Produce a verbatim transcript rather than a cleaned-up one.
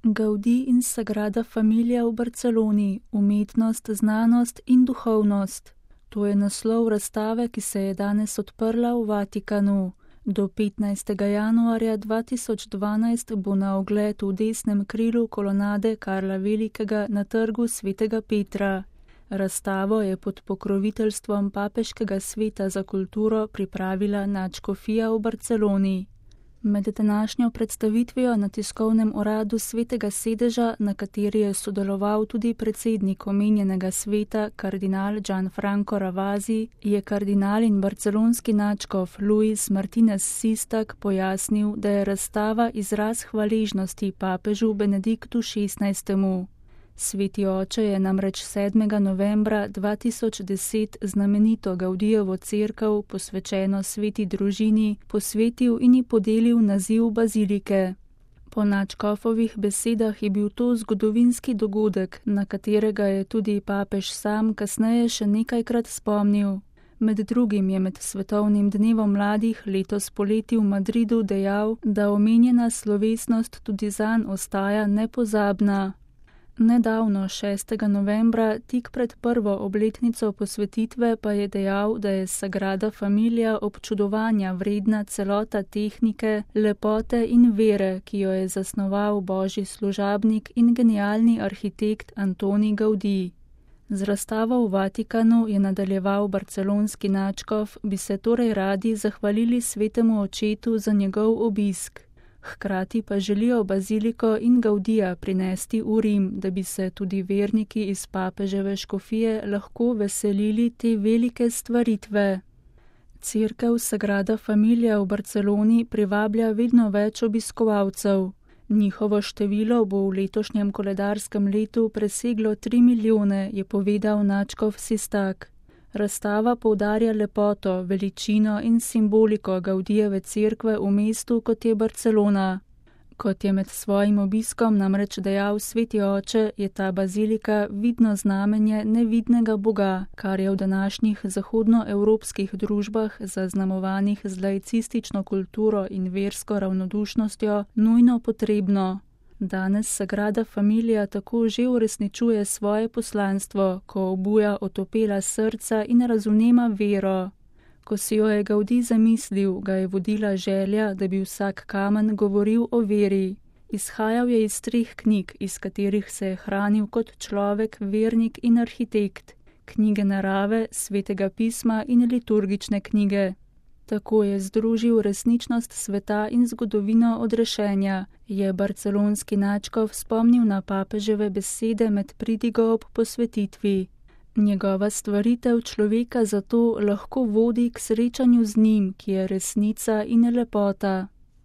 Gaudí in Sagrada Familia v Barceloni, umetnost, znanost in duhovnost. To je naslov razstave, ki se je danes odprla v Vatikanu. Do petnajstega januarja dva tisoč dvanajst bo na ogled v desnem krilu kolonade Karla Velikega na trgu Svetega Petra. Razstavo je pod pokroviteljstvom Papeškega sveta za kulturo pripravila nadškofija v Barceloni. Med današnjo predstavitvijo na tiskovnem uradu Svetega sedeža, na kateri je sodeloval tudi predsednik omenjenega sveta, kardinal Gianfranco Ravasi, je kardinal in barcelonski nadškof Luis Martinez Sistak pojasnil, da je razstava izraz hvaležnosti papežu Benediktu šestnajstemu. Sveti oče je namreč sedmega novembra dva tisoč deset znamenito Gaudijevo cerkev, posvečeno sveti družini, posvetil in ji podelil naziv bazilike. Po nadškofovih besedah je bil to zgodovinski dogodek, na katerega je tudi papež sam kasneje še nekajkrat spomnil. Med drugim je med svetovnim dnevom mladih letos poleti v Madridu dejal, da omenjena slovesnost tudi zanj ostaja nepozabna. Nedavno, šestega novembra, tik pred prvo obletnico posvetitve, pa je dejal, da je Sagrada Familia občudovanja vredna celota tehnike, lepote in vere, ki jo je zasnoval božji služabnik in genialni arhitekt Antoni Gaudí. Z razstavo v Vatikanu, je nadaljeval barcelonski nadškof, bi se torej radi zahvalili svetemu očetu za njegov obisk. Hkrati pa želijo baziliko in Gaudija prinesti v Rim, da bi se tudi verniki iz papeževe škofije lahko veselili te velike stvaritve. Cerkev Sagrada Familia v Barceloni privablja vedno več obiskovalcev. Njihovo število bo v letošnjem koledarskem letu preseglo tri milijone, je povedal nadškof Sistak. Razstava poudarja lepoto, veličino in simboliko Gaudijeve cerkve v mestu, kot je Barcelona. Kot je med svojim obiskom namreč dejal sveti oče, je ta bazilika vidno znamenje nevidnega Boga, kar je v današnjih zahodnoevropskih družbah, zaznamovanih z laicistično kulturo in versko ravnodušnostjo, nujno potrebno. Danes Sagrada Familia tako že uresničuje svoje poslanstvo, ko obuja otopela srca in razvnema vero. Ko si jo je Gaudí zamislil, ga je vodila želja, da bi vsak kamen govoril o veri. Izhajal je iz treh knjig, iz katerih se je hranil kot človek, vernik in arhitekt. Knjige narave, svetega pisma in liturgične knjige. Tako je združil resničnost sveta in zgodovino odrešenja, je barcelonski nadškof spomnil na papeževe besede med pridigo ob posvetitvi. Njegova stvaritev človeka zato lahko vodi k srečanju z njim, ki je resnica in lepota.